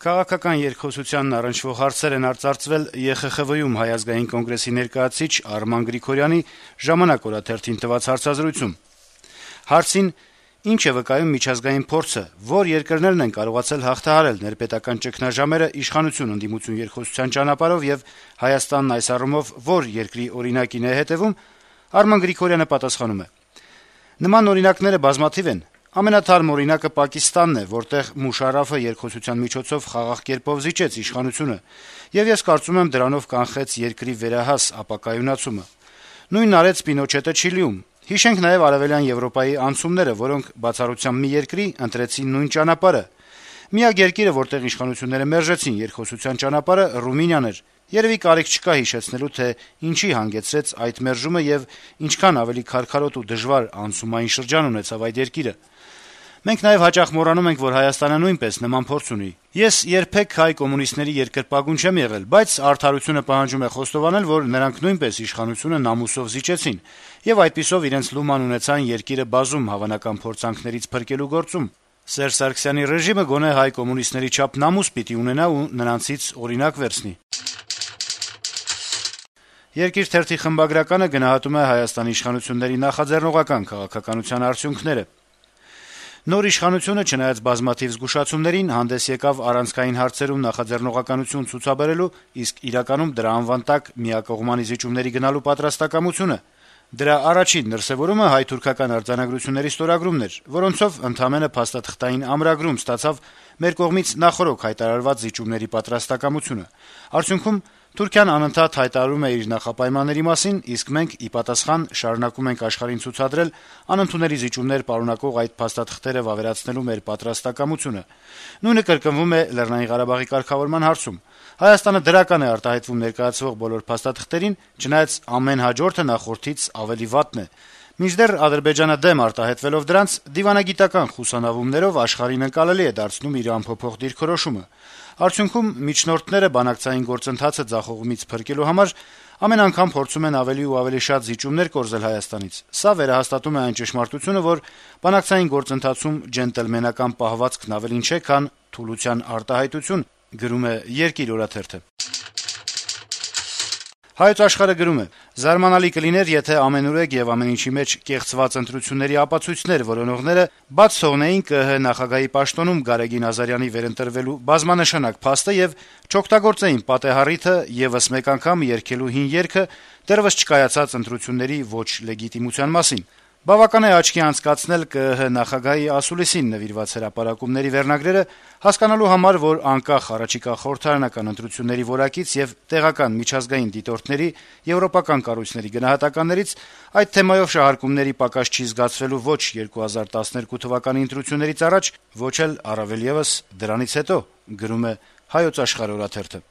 Քաղաքական երկխոսությանն առնչվող հարցեր են արծարծվել ԵԽԽՎ-ում Հայ ազգային կոնգրեսի ներկայացուցիչ Արման Գրիգորյանի «Ժամանակ» օրաթերթին տված հարցազրույցում։ Հարցին «Ինչ է վկայում միջազգային փորձը, որ երկրներն են կարողացել հաղթահարել ներպետական ճգնաժամերը իշխանություն ընդդիմություն երկխոսության ճանապարհով եւ Հայաստանն այս առումով որ երկրի օրինակին է հետեւում», Արման Գրիգորյանը պատասխանում է. «Նման օրինակները բազմաթիվ են։ Ամենաթարմ օրինակը Պակիստանն է, որտեղ Մուշարաֆը երկխոսության միջոցով խաղաղ կերպով զիջեց իշխանությունը, եւ ես կարծում եմ դրանով կանխեց երկրի վերահաս ապակայունացումը։ Նույնն արեց Պինոչետը Չիլիում։ Հիշենք նաեւ Արևելյան Եվրոպայի անցումները, որոնք բացառությամբ մի երկրի ընտրեցին նույն ճանապարհը։ Միակ երկիրը, որտեղ իշխանությունները մերժեցին երկխոսության ճանապարհը, Ռումինիան էր։ Երեւի կարիք չկա հիշեցնելու, թե ինչի հանգեցրեց այդ մերժումը եւ ինչքան ավելի քարքարոտ ու դժվար անցումային շրջան ունեցավ այդ երկիրը։ Մենք նաեւ հաճախ մոռանում ենք, որ Հայաստանը նույնպես նման փորձ ունի։ Ես երբեք հայ կոմունիստների երկրպագուն չեմ եղել, բայց արդարությունը պահանջում է խոստովանել, որ նրանք նույնպես իշխանությունը նամուսով զիջեցին եւ այդպիսով իրենց լուման ունեցան երկիրը բազում հավանական փորձանքներից փրկելու գործում։ Սերժ Սարգսյանի ռեժիմը գոնե հայ կոմունիստների չափ նամուս պիտի ունենա ու նրանցից օրինակ վերցնի»։ Երկիր թերթի խմբագրականը գնահատում է Հայաստանի իշխանությունների նախաձեռնողական քաղաքականության արդյունքները։ Նոր իշխանությունը, չնայած բազմաթիվ զգուշացումներին, հանդես եկավ առանցքային հարցերում նախաձեռնողականություն ցուցաբերելու, իսկ իրականում դրա անվան տակ միակողմանի զիջումների գնալու պատրաստակամությունը։ Դրա առաջին դրսեւորումը հայ-թուրքական արձանագրությունների ստորագրումն էր, որոնցով ընդամենը փաստաթղթային ամրագրում ստացավ մեր կողմից նախօրոք հայտարարված զիջումների պատրաստակամությունը։ Արդյունքում Թուրքիան անընդհատ հայտարարում է իր նախապայմանների մասին, իսկ մենք ի պատասխան շարունակում ենք աշխարհին ցուցադրել անընդունելի զիջումներ պարունակող այդ փաստաթղթերը վավերացնելու մեր պատրաստակամությունը։ Նույնը կրկնվում է Լեռնային Ղարաբաղի կարգավորման հարցում։ Հայաստանը դրական է արտահայտվում ներկայացվող բոլոր փաստաթղթերին, չնայած ամեն հաջորդը նախորդից ավելի վատն է։ Մինչդեռ Ադրբեջանը դեմ արտահայտվելով դրանց, դիվանագիտական խուսանավումներով աշխարհին ընկալելի է դարձնում իր անփոփոխ դիրքորոշումը։ Արդյունքում միջնորդները բանակցային գործընթացը ձախողումից փրկելու համար ամեն անգամ փորձում են ավելի ու ավելի շատ զիջումներ կորզել Հայաստանից։ Սա վերահաստատում է այն ճշմարտությունը, որ բանակցային գործընթացում ջենտլմենական պահվածքն ավելին չէ, քան թուլության արտահայտություն, գրում է Երկիր օրաթերթը։ Հայոց Աշխարհը գրում է. «Զարմանալի կլիներ, եթե ամենուրեք եւ ամեն ինչի մեջ կեղծված ընտրությունների ապացույցներ որոնողները բաց թողնեին ԿԸՀ նախագահի պաշտոնում Գարեգին Ազարյանի վերընտրվելու բազմանշանակ փաստը եւ չօգտագործեին պատեհառիթը եւս մեկ անգամ երգելու հին երգը դեռեւս չկայացած ընտրությունների ոչ լեգիտիմության մասին։ Բավական է աչքի անցկացնել ԿԸՀ նախագահի ասուլիսին նվիրված հրապարակումների վերնագրերը, հասկանալու համար, որ անկախ առաջիկա խորհրդարանական ընտրությունների որակից եւ տեղական միջազգային դիտորդների, եվրոպական կառույցների գնահատականներից այդ թեմայով շահարկումների պակաս չի զգացվելու ոչ 2012 թվականի ընտրություններից առաջ, ոչ էլ առավել եւս դրանից հետո», գրում է Հայոց Աշխարհ օրաթերթը։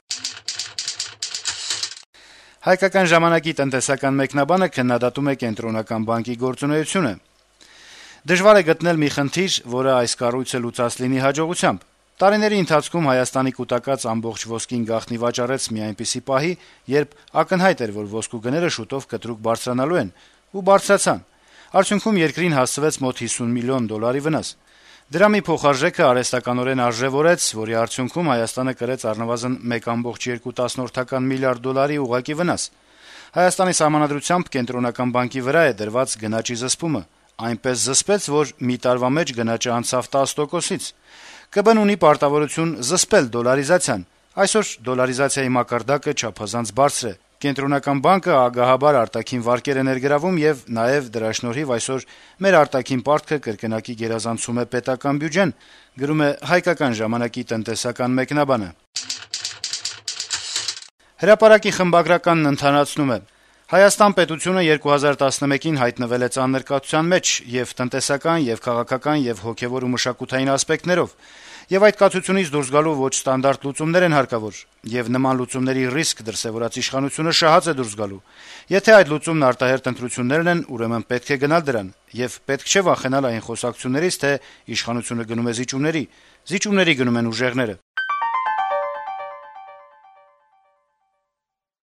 Հայկական ժամանակի տնտեսական մեկնաբանը քննադատում է Կենտրոնական բանկի գործունեությունը։ Դժվար է գտնել մի խնդիր, որը այս կառույցը լուծած լինի հաջողությամբ։ Տարիների ընթացքում Հայաստանի կուտակած ամբողջ ոսկին գաղտնի վաճառեց մի այնպիսի պահի, երբ ակնհայտ էր, որ ոսկու գները շուտով կտրուկ բարձրանալու են, ու բարձրացան։ Արդյունքում երկրին հասցվեց մոտ $50 միլիոն վնաս։ Դրա մի փոխարժեքը արհեստականորեն արժեվորեց, որի արդյունքում Հայաստանը կրեց առնվազն $1.2 միլիարդ ուղղակի վնաս։ Հայաստանի սահմանադրությամբ Կենտրոնական բանկի վրա է դրված գնաճի զսպումը, այնպես զսպեց, որ մի տարվա մեջ գնաճը անցավ 10%-ից։ ԿԲ-ն ունի պարտավորություն զսպել դոլարիզացիան։ Այսօր դոլարիզացիայի մակարդակը չափազանց բարձր է։ Կենտրոնական բանկը ագահաբար արտաքին վարկեր է ներգրավում եւ նաեւ դրա շնորհիվ այսօր մեր արտաքին պարտքը կրկնակի գերազանցում է պետական բյուջեն, գրում է Հայկական ժամանակի տնտեսական մեկնաբանը։ Հրապարակի խմբագրականն ընդհանրացնում է. «Հայաստան պետությունը 2011-ին հայտնվել է ծանր կացության մեջ եւ տնտեսական, եւ քաղաքական, եւ հոգեվոր ու մշակութային ասպեկտներով, եւ այդ կացությունից դուրս գալու ոչ ստանդարտ լուծումներ են հարկավոր, եւ նման լուծումների ռիսկ դրսեւորած իշխանությունը շահած է դուրս գալու։ Եթե այդ լուծումն արտահերթ ընտրություններն են, ուրեմն պետք է գնալ դրան, եւ պետք չէ վախենալ այն խոսակցություններից, թե իշխանությունը գնում է զիջումների։ Զիջումների գնում են ուժեղները։